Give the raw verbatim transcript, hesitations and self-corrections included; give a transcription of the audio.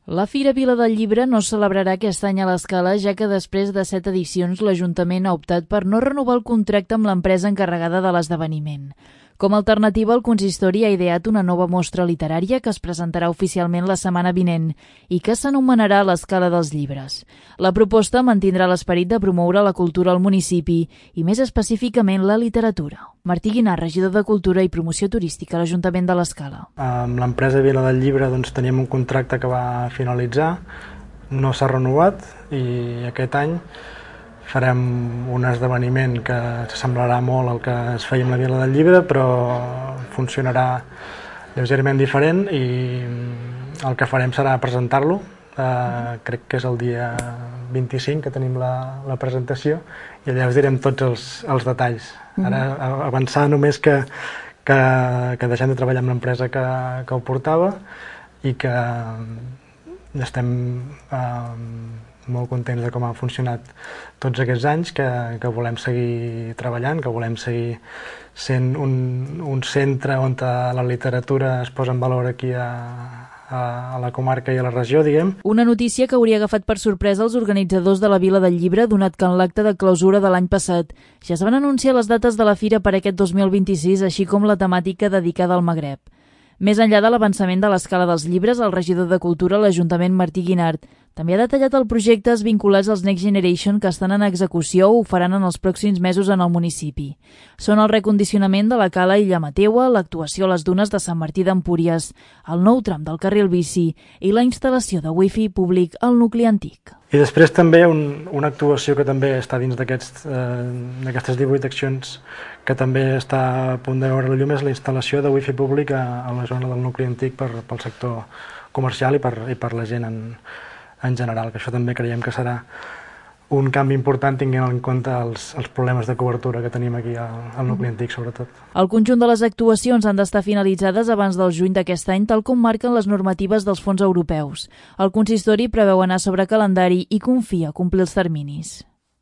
La Fira Vila del Llibre no es celebrarà aquest any a l'Escala, ja que després de set edicions l'Ajuntament ha optat per no renovar el contracte amb l'empresa encarregada de l'esdeveniment. Com a alternativa, el consistori ha ideat una nova mostra literària que es presentarà oficialment la setmana vinent i que s'anomenarà l'Escala dels Llibres. La proposta mantindrà l'esperit de promoure la cultura al municipi i, més específicament, la literatura. Martí Guinart, regidor de Cultura i Promoció Turística a l'Ajuntament de l'Escala. Amb l'empresa Vila del Llibre doncs, teníem un contracte que va finalitzar, no s'ha renovat i aquest any farem un esdeveniment que s'assemblarà molt al que es feia amb la Vila del Llibre, però funcionarà lleugerament diferent i el que farem serà presentar-lo. Uh, crec que és el dia vint-i-cinc que tenim la, la presentació i allà us direm tots els, els detalls. Ara avançar només que, que, que deixem de treballar amb l'empresa que, que ho portava i que estem uh, molt contents de com ha funcionat tots aquests anys, que, que volem seguir treballant, que volem seguir sent un, un centre on la literatura es posa en valor aquí a, a, a la comarca i a la regió, diguem. Una notícia que hauria agafat per sorpresa els organitzadors de la Vila del Llibre, donat que en l'acte de clausura de l'any passat ja es van anunciar les dates de la fira per aquest dos mil vint-i-sis, així com la temàtica dedicada al Magreb. Més enllà de l'avançament de l'Escala dels Llibres, el regidor de Cultura a l'Ajuntament, Martí Guinart, també ha detallat els projectes vinculats als Next Generation que estan en execució o ho faran en els pròxims mesos en el municipi. Són el recondicionament de la cala Illa Mateua, l'actuació a les dunes de Sant Martí d'Empúries, el nou tram del carril bici i la instal·lació de wifi públic al nucli antic. I després també un, una actuació que també està dins d'aquestes eh, divuit accions que també està a punt de veure la llum és la instal·lació de wifi públic a, a la zona del nucli antic per, pel sector comercial i per, i per la gent en, en general, que això també creiem que serà un canvi important tinguent en compte els, els problemes de cobertura que tenim aquí al, al nucli antic, sobretot. El conjunt de les actuacions han d'estar finalitzades abans del juny d'aquest any, tal com marquen les normatives dels fons europeus. El consistori preveu anar sobre calendari i confia complir els terminis.